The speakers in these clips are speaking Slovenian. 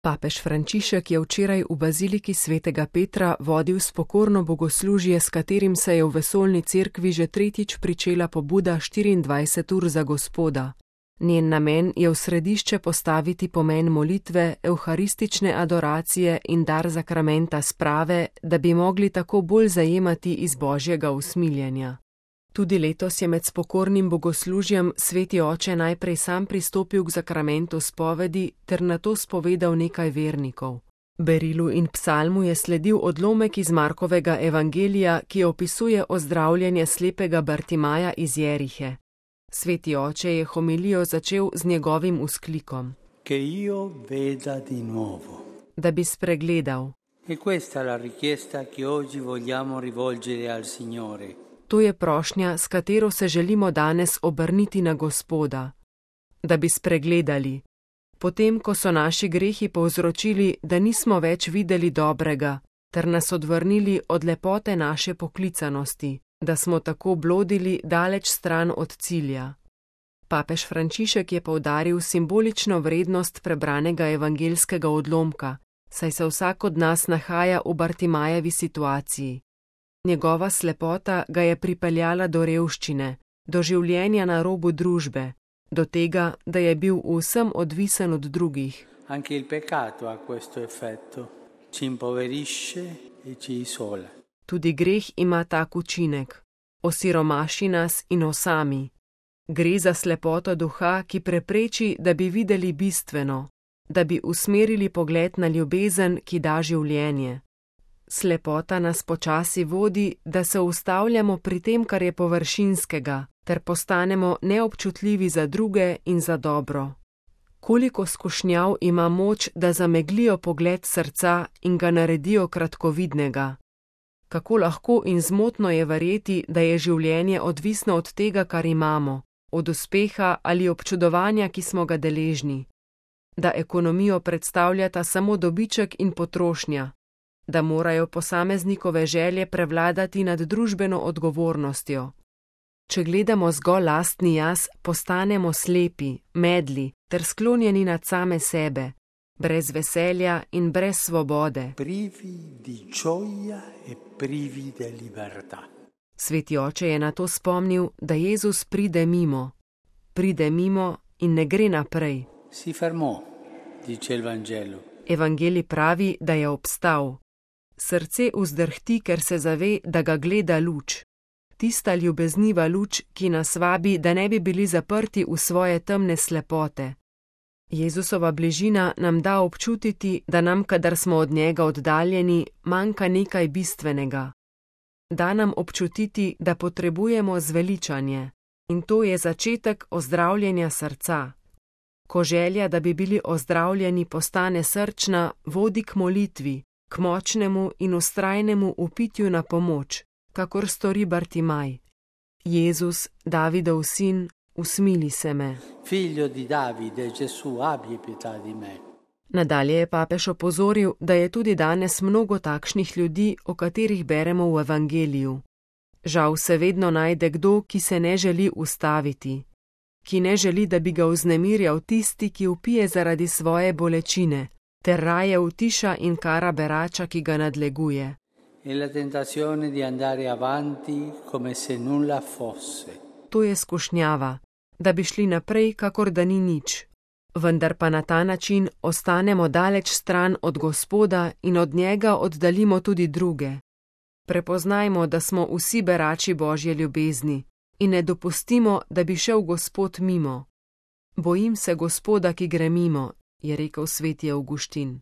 Papež Frančišek je včeraj v baziliki svetega Petra vodil spokorno bogoslužje, s katerim se je v vesoljni cerkvi že tretjič pričela pobuda 24 ur za Gospoda. Njen namen je v središče postaviti pomen molitve, evharistične adoracije in dar zakramenta sprave, da bi mogli tako bolj zajemati iz Božjega usmiljenja. Tudi letos je med spokornim bogoslužjem sveti oče najprej sam pristopil k zakramentu spovedi ter nato spovedal nekaj vernikov. Berilu in psalmu je sledil odlomek iz Markovega evangelija, ki opisuje ozdravljenje slepega Bartimaja iz Jerihe. Sveti oče je homilijo začel z njegovim vzklikom: Che io veda di nuovo. Da bi spregledal. E questa è la richiesta che oggi vogliamo rivolgere al Signore. To je prošnja, s katero se želimo danes obrniti na Gospoda. Da bi spregledali. Potem, ko so naši grehi povzročili, da nismo več videli dobrega, ter nas odvrnili od lepote naše poklicanosti, da smo tako blodili daleč stran od cilja. Papež Frančišek je poudaril simbolično vrednost prebranega evangelskega odlomka, saj se vsak od nas nahaja v Bartimajevi situaciji. Njegova slepota ga je pripeljala do revščine, do življenja na robu družbe, do tega, da je bil vsem odvisen od drugih. Anche il peccato ha questo effetto, ci impoverisce e ci isola. Tudi greh ima tak učinek, osiromaši nas in osami. Gre za slepoto duha, ki prepreči, da bi videli bistveno, da bi usmerili pogled na ljubezen, ki da življenje. Slepota nas počasi vodi, da se ustavljamo pri tem, kar je površinskega, ter postanemo neobčutljivi za druge in za dobro. Koliko skušnjav ima moč, da zameglijo pogled srca in ga naredijo kratkovidnega. Kako lahko in zmotno je verjeti, da je življenje odvisno od tega, kar imamo, od uspeha ali občudovanja, ki smo ga deležni. Da ekonomijo predstavljata samo dobiček in potrošnja. Da morajo posameznikove želje prevladati nad družbeno odgovornostjo. Če gledamo zgolj lastni jaz, postanemo slepi, medli ter sklonjeni nad same sebe, brez veselja in brez svobode. Privi di gioia e privi di libertà. Sveti oče je na to spomnil, da Jezus pride mimo in ne gre naprej. Si fermò, dice il Vangelo. Evangelij pravi, da je obstal. Srce vzdrhti, ker se zave, da ga gleda luč. Tista ljubezniva luč, ki nas vabi, da ne bi bili zaprti v svoje temne slepote. Jezusova bližina nam da občutiti, da nam, kadar smo od njega oddaljeni, manjka nekaj bistvenega. Da nam občutiti, da potrebujemo zveličanje. In to je začetek ozdravljenja srca. Ko želja, da bi bili ozdravljeni, postane srčna, vodi k molitvi, k močnemu in vztrajnemu upitju na pomoč, kakor stori Bartimaj. Jezus, Davidov sin, usmili se me. Figlio di Davide, Gesù, abbi pietà di me. Nadalje je papež opozoril, da je tudi danes mnogo takšnih ljudi, o katerih beremo v evangeliju. Žal se vedno najde kdo, ki se ne želi ustaviti, ki ne želi, da bi ga vznemirjal tisti, ki vpije zaradi svoje bolečine, ter raje utiša in kara berača, ki ga nadleguje. E la tentazione di andare avanti come se nulla fosse. To je skušnjava, da bi šli naprej, kakor da ni nič. Vendar pa na ta način ostanemo daleč stran od Gospoda in od njega oddaljimo tudi druge. Prepoznajmo, da smo vsi berači Božje ljubezni in ne dopustimo, da bi šel Gospod mimo. Bojim se Gospoda, ki gre mimo, je rekel sveti Avguštin.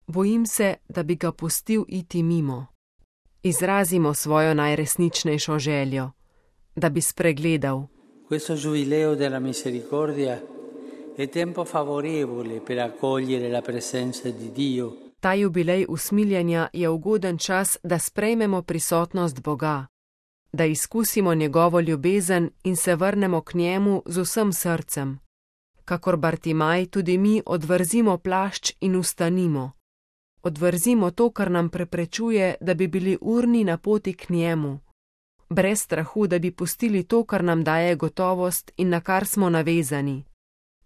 Bojim se, da bi ga pustil iti mimo. Izrazimo svojo najresničnejšo željo, da bi spregledal. Questo giubileo della misericordia è tempo favorevole per accogliere la presenza di Dio. Ta jubilej usmiljenja je ugoden čas, da sprejmemo prisotnost Boga, da izkusimo njegovo ljubezen in se vrnemo k njemu z vsem srcem. Kakor Bartimaj, tudi mi odvrzimo plašč in vstanimo. Odvrzimo to, kar nam preprečuje, da bi bili urni na poti k njemu. Brez strahu, da bi pustili to, kar nam daje gotovost in na kar smo navezani.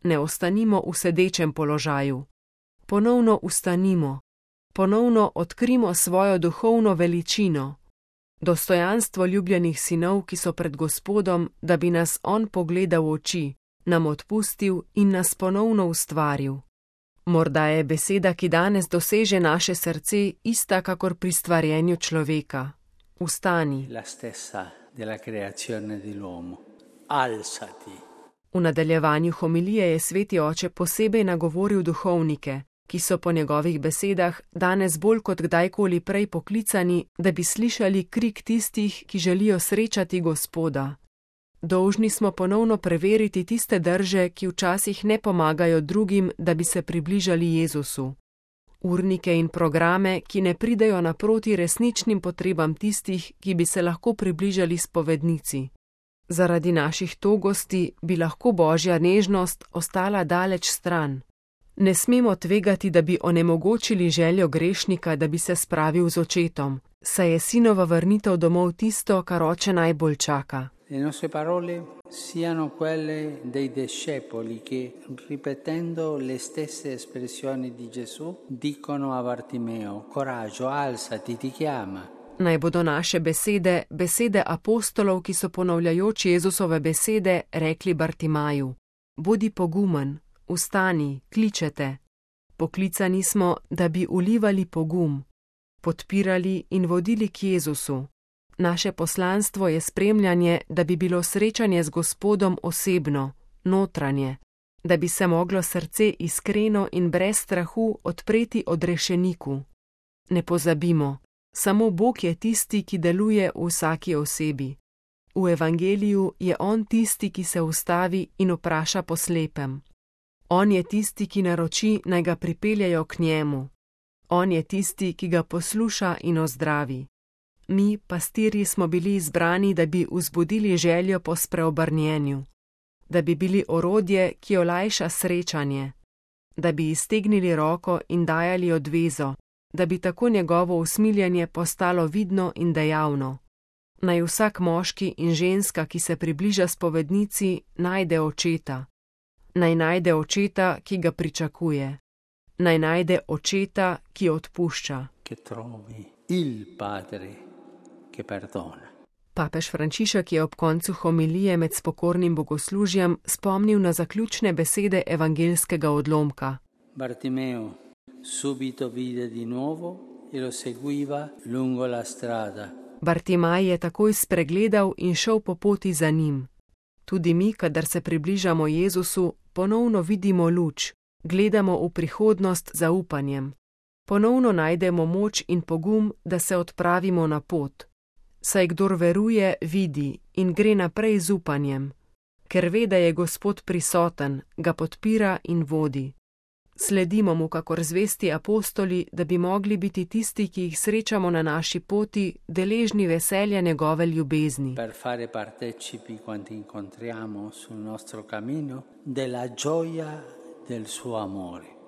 Ne ostanimo v sedečem položaju. ponovno ustanimo, ponovno odkrimo svojo duhovno veličino, dostojanstvo ljubljenih sinov, ki so pred Gospodom, da bi nas On pogledal v oči, nam odpustil in nas ponovno ustvaril. Morda je beseda, ki danes doseže naše srce, ista kakor pri stvarjenju človeka. Vstani. La stessa della creazione dell'uomo. Alzati. V nadaljevanju homilije je sveti oče posebej nagovoril duhovnike, ki so po njegovih besedah danes bolj kot kdajkoli prej poklicani, da bi slišali krik tistih, ki želijo srečati Gospoda. Dolžni smo ponovno preveriti tiste drže, ki včasih ne pomagajo drugim, da bi se približali Jezusu. Urnike in programe, ki ne pridejo naproti resničnim potrebam tistih, ki bi se lahko približali spovednici. Zaradi naših togosti bi lahko Božja nežnost ostala daleč stran. Ne smemo tvegati, da bi onemogočili željo grešnika, da bi se spravil z očetom, saj je sinova vrnitev domov tisto, kar oče najbolj čaka. Le nostre parole siano quelle dei discepoli che, ripetendo le stesse espressioni di Gesù, dicono a Bartimeo: Coraggio, alzati, ti chiama. Naj bodo naše besede, besede apostolov, ki so ponavljajoč Jezusove besede, rekli Bartimaju: Bodi pogumen, vstani, kličete. Poklicani smo, da bi ulivali pogum, podpirali in vodili k Jezusu. Naše poslanstvo je spremljanje, da bi bilo srečanje z Gospodom osebno, notranje, da bi se moglo srce iskreno in brez strahu odpreti odrešeniku. Ne pozabimo, samo Bog je tisti, ki deluje v vsaki osebi. V evangeliju je On tisti, ki se ustavi in vpraša po slepem. On je tisti, ki naroči, naj ga pripeljejo k njemu. On je tisti, ki ga posluša in ozdravi. Mi, pastirji, smo bili izbrani, da bi vzbudili željo po spreobrnjenju, da bi bili orodje, ki olajša srečanje, da bi iztegnili roko in dajali odvezo, da bi tako njegovo usmiljenje postalo vidno in dejavno. Naj vsak moški in ženska, ki se približa spovednici, najde očeta. Naj najde očeta, ki ga pričakuje. Naj najde očeta, ki odpušča. Che trovi il Padre che perdona. Papež Frančišek je ob koncu homilije med spokornim bogoslužjem spomnil na zaključne besede evangelskega odlomka. Bartimeo subito vide di nuovo e lo seguiva lungo la strada. Bartimaj je takoj spregledal in šel po poti za njim. Tudi mi, kadar se približamo Jezusu, ponovno vidimo luč, gledamo v prihodnost z zaupanjem. Ponovno najdemo moč in pogum, da se odpravimo na pot. Saj kdor veruje, vidi in gre naprej z upanjem, ker ve, da je Gospod prisoten, ga podpira in vodi. Sledimo mu kakor zvesti apostoli, da bi mogli biti tisti, ki jih srečamo na naši poti, deležni veselja njegove ljubezni. Per fare partecipi quanti incontriamo sul nostro cammino della gioia del suo amore.